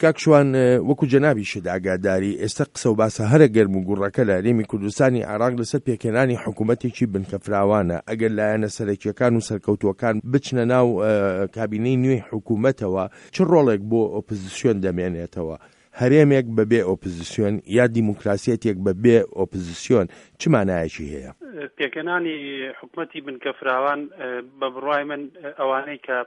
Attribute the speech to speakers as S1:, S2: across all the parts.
S1: کاک شوان وەکو جەنابیشت ئاگاداری ئێستا قسە و باسە هەرە گەرم و گوڕەکە لە هەرێمی کوردستانی عێراق لەسەر پێکهێنانی حکوومەتێکی بنکە فراوانە، ئەگەر لایەنە سەرەکییەکان و سەرکەوتووەکان بچنە ناو کابینەی نوێی حکوومەتەوە چ ڕۆڵێک بۆ ئۆپزسیۆن دەمێنێتەوە؟ هەرێمێک بە بێ ئۆپزسیۆن یا دیموکراسیەتێک بە بێ ئۆپزسیۆن چ مانایەکی هەیە؟
S2: پێکهێنانی حکومەتی بنکە فراوان بە بڕوای من ئەوانەی کە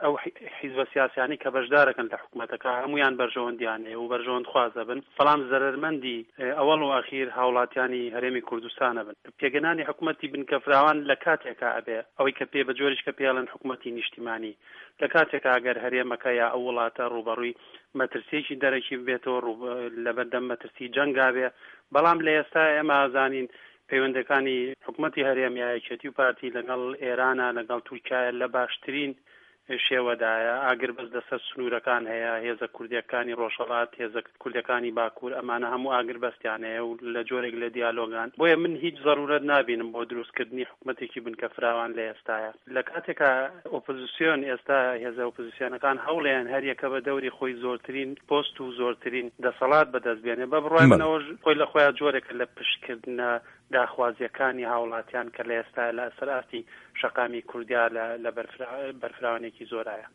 S2: ئەو حیزبە سیاسیانەی کە بەشدارەکەن لە حکومەتەکە هەموویان بەرژەوەندیان هەیە و بەرژەوەندخواز دەبن، بەڵام زەرەرمەندی ئەوەڵ و ئەخیر هاوڵاتیانی هەرێمی کوردستان ئەبن. پێکهێنانی حکومەتی بنکە فراوان لە کاتێکا ئەبێ ئەوەی کە پێ بە جۆریش کە پێی ئەڵێن حکومەتی نیشتیمانی لە کاتێکا ئەگەر هەرێمەکە یا ئەو وڵاتە ڕووبەڕووی مەترسیەکی دەرەکی ببێتەوە ڕوو لەبەردەم مەترسی جەنگا بێ بەڵام لە ئێستا ئێمە ئەزانین پەیوەندەکانی حکومەتی هەرێم یا یەکێتی و پارتی لەگەڵ ئێرانە لەگەڵ تورکایە لە باشترین شێوەدایە، ئاگربەست لەسەر سنوورەکان هەیە، هێزە کوردییەکانی ڕۆژهەڵات، هێزە کوردەکانی باکوور ئەمانە هەموو ئاگربەستیان هەیە و لە جۆرێک لە دیالۆگان، بۆیە من هیچ زەروورەت نابینم بۆ دروستکردنی حکومەتێکی بنکە فراوان لە ئێستایا. لە کاتێکا ئۆپۆزسیۆن ئێستا هێزە ئۆپۆزسیۆنەکان هەوڵێن هەر یەکە بە دەوری خۆی زۆرترین پۆست و زۆرترین دەسەڵات بەدەست بێنێ، بە بڕوای من ئەوەش خۆی لە خۆیا جۆرێکە لە پشتکردنە داخوازییەکانی هاوڵاتیان کە لە ئێستایا لە سەر ئاستی شەقامی کوردیا لە بەرفراوانێکی زۆرایە.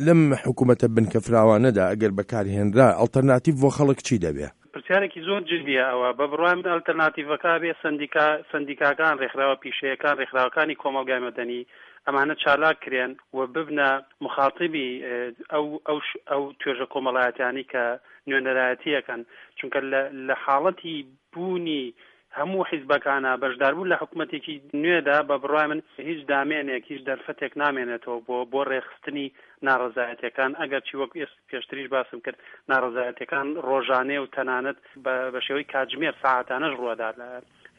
S1: لەم حکوومەتە بنکە فراوانەدا ئەگەر بەکار هێنرا ئەڵتەرناتیڤ بۆ خەڵک چی دەبێ؟
S2: پرسیارێکی زۆر جدیە ئەوە. بە بڕوای من ئەلتەرناتیڤەکە ئەبێ سەندیکا، سەندیکاکان، رێکخراوە پیشەیەکان، رێکخراوەکانی کۆمەڵگای مەدەنی ئەمانە چالاک کرێن و ببنە موخاتیبی ئەو ئەو ئەو توێژە کۆمەڵایەتیانەی کە نوێنەرایەتی ئەکەن چونکە لە لە حاڵەتی بوونی هەموو حیزبەکانە بەشداربوون لە حکومەتێکی نوێدا بە بڕوای من هیچ دامێنێک هیچ دەرفەتێک نامێنێتەوە بۆ بۆ ڕێکخستنی ناڕەزایەتیەکان ئەگەرچی وەک پێشتریش باسم کرد ناڕەزایەتیەکان ڕۆژانەیە و تەنانەت بە شێوەی کاتژمێر سەعاتانەش ڕووەدات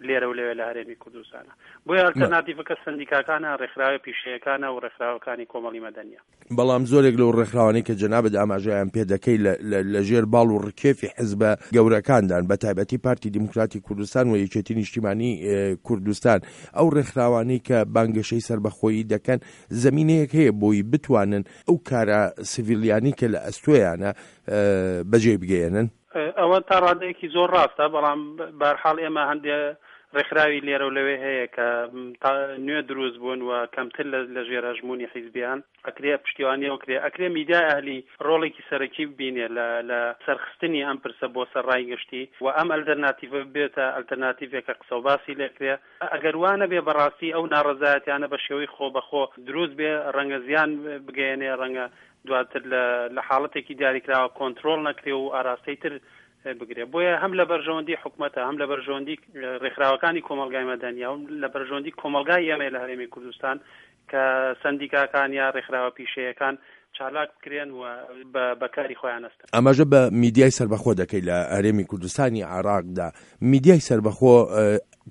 S2: لێرە و لەوێ لە هەرێمی کوردستانە بۆیە ئەلتەرناتیڤەکە سەندیکاکانە ڕێکخراوە پیشەیەکانە و ڕێکخراوەکانی کۆمەڵی مەدەنیە.
S1: بەڵام زۆرێک لەو ڕێکخراوانەی کە جەنابت ئاماژەیان پێ دەکەی لە ژێر باڵ و ڕکێفی حزبە گەورەکاندان بە تایبەتی پارتی دیموکراتی کوردستان و یەکێتی نیشتیمانی کوردستان ئەو ڕێکخراوانەی کە بانگەشەی سەربەخۆیی دەکەن زەمینەیەک هەیە بۆی بتوانن ئەو کارە سڤیلیانەی کە لە ئەستۆیانە بەجێی بگەیەنن؟
S2: ئەوە تا ڕادەیەکی زۆر ڕاستە، بەڵام بەهەرحاڵ ئێمە هەندێ ڕێکخراوی لێرە و لەوێ هەیە کە نوێ دروست بوون و کەمتر لە ژێر هەژموونی حیزبیان، ئەکرێ پشتیوانی ئەو کرێ، ئەکرێ میدیای ئەهلی ڕۆڵێکی سەرەکی ببینێ لە سەرخستنی ئەم پرسە بۆ سەر ڕای گشتی و ئەم ئەلتەرناتیڤە ببێتە ئەلتەرناتیڤێک کە قسەوباسی لێکرێ. ئەگەر وا نەبێ بەڕاستی ئەو ناڕەزایەتیانە بە شێوەی خۆبەخۆ دروست بێ ڕەنگە زیان بگەیەنێ، ڕەنگە دواتر لە لە حاڵەتێکی دیاریکراوە کۆنترۆڵ نەکرێ و ئاراستەی تر بگرێ. بۆیە هەم لە بەرژەوەندی حکومەتە، هەم لە بەرژەوەندی ڕێکخراوەکانی کۆمەڵگای مەدەنیە و لە بەرژەوەندی کۆمەڵگای ئێمەیە لە هەرێمی کوردستان کە سەندیکاکان یا ڕێکخراوە پیشەیەکان چالاک بکرێن و بە کاری خۆیان هەستن.
S1: ئاماژە بە میدیای سەربەخۆ دەکەی لە هەرێمی کوردستانی عێراقدا، میدیای سەربەخۆ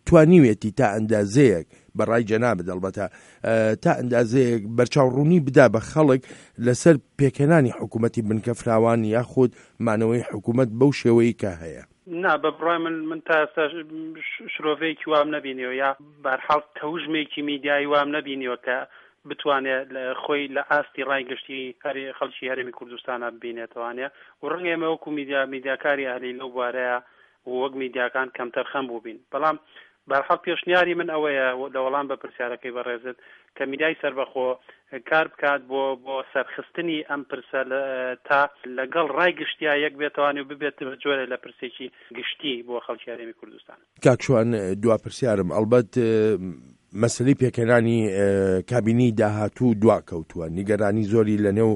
S1: توانیوێتی تا ئەندازەیەک، بە ڕای جەنابت ئەڵبەتە، تا ئەندازەیەک بەرچاوڕوونی بدا بە خەڵک لەسەر پێکهێنانی حکوومەتی بنکە فراوان یاخود مانەوەی حکوومەت بەو شێوەی کە هەیە؟
S2: نا، بە بڕوای من، من تا ئێستا شرۆڤەیەکی وام نەبینیوە یا بەهەرحاڵ تەوژمێکی میدیایی وام نەبینیوە کە بتوانێت خۆی لە ئاستی ڕای گشتی خەڵکی هەرێمی کوردستانا ببینێتەوانێ و ڕەنگە ئێمە وەکو میدیا میدیاکاری ئەهلی لەو بوارەیا و وەک میدیاکان کەمتەرخەم بووبین بەڵام بەهەرحاڵ پێشنیاری من ئەوەیە لە وەڵام بە پرسیارەکەی بەڕێزت کە میدیای سەربەخۆ کار بکات بۆ بۆ سەرخستنی ئەم پرسە تا لەگەڵ ڕای گشتیا یەک بێتەوانی و ببێت بە جۆرێ لە پرسێکی گشتی بۆ خەڵکی هەرێمی کوردستان.
S1: کاک شوان دوا پرسیارم ئەڵبەت مەسەلەی پێکهێنانی کابینەی داهاتوو دواکەوتووە، نیگەرانی زۆری لەنێو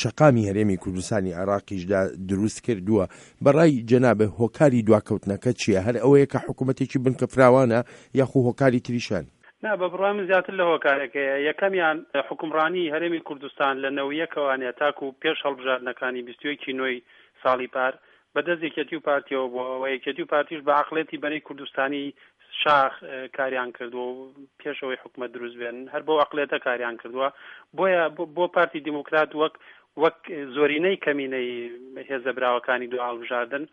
S1: شەقامی هەرێمی کوردستانی عێراقیشدا دروست کردووە، بەڕای جەنابت هۆکاری دواکەوتنەکە چییە؟ هەر ئەوەیە کە حکوومەتێکی بنکە فراوانە یاخو هۆکاری تریش هەن؟
S2: نا، بە بڕوای من زیاتر لە هۆکارێک هەیە، یەکەمیان حوکمڕانی هەرێمی کوردستان لە نەوەیەکەوانە تاکوو پێش هەڵبژاردنەکانی 21 ی نۆی ساڵی پار بە دەست یەکێتی و پارتیەوە بووە و یەکێتی و پارتیش بە عەقڵێتی بەرەی کوردستانی شاخ کاریان کردووە و پێش ئەوەی حکومەت دروست بێن هەر بەو عەقڵێتە کاریان کردووە بۆیە بۆ پارتی دیموکرات وەک وەک زۆرینەی کەمینەی هێزە براوەکانی دو هەڵبژاردن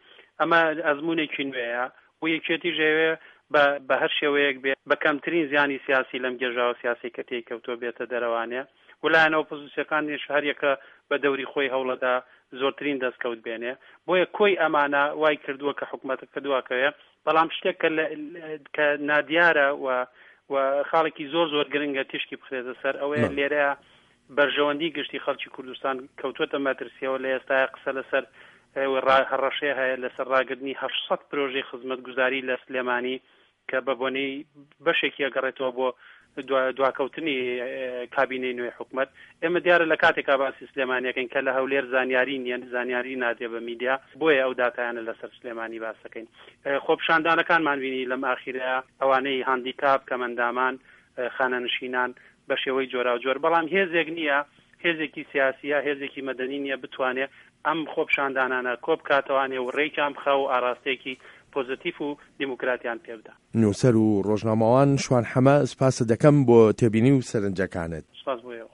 S2: ئەمە ئەزمونێکی نوێیە و یەکێتیش ئەیەوێ بە بە هەر شێوەیەک بێ بە کەمترین زیانی سیاسی لەم گێژاوە سیاسی کە تێی کەوتووە بێتە دەرەوانێ و لایەنە ئۆپۆزیسیەکانیش هەریەکە بە دەوری خۆی هەوڵەدا. زۆرترین دەستکەوت بێنێ. بۆیە کۆی ئەمانە وای کردووە کە حکومەتەکە دواکەوێ. بەڵام شتێک کە کە نادیارە و و خاڵێکی زۆر زۆر گرنگە تیشکی بخرێتە سەر ئەوەیە لێرە بەرژەوەندی گشتی خەڵکی کوردستان کەوتووەتە مەترسیەوە لە ئێستایا قسە لەسەر هەڕەشەیە هەیە لەسەر ڕاگرتنی 800 پرۆژەی خزمەتگوزاری لە سلێمانی کە بە بۆنەی بەشێکی ئەگەڕێتەوە بۆ دواکەوتنی کابینەی نوێی حکومەت. ئێمە دیارە لە کاتێکا باسی سلێمانیەکەین کە لە هەولێر زانیاری نییە، زانیاری نادرێ بە میدیا، بۆیە ئەو داتایانە لەسەر سلێمانی باس دەکەین. خۆپیشاندانەکانمان بینی لەم ئاخیرەیا، ئەوانەی هاندیکاپ، کەمئەندامان، خانەنشینان بە شێوەی جۆراوجۆر، بەڵام هێزێک نییە، هێزێکی سیاسی یا هێزێکی مەدەنی نییە بتوانێ ئەم خۆپیشاندانانە کۆبکاتەوانێ و رێکیان بخا و ئاراستەیەکی پۆزەتیف و دیموکراتیان پێ بدا.
S1: نووسەر و ڕۆژنامەوان شوان حەمە سوپاست دەکەم بۆ تێبینی و سەرنجەکانت.
S2: سوپاس بۆ ئێوە.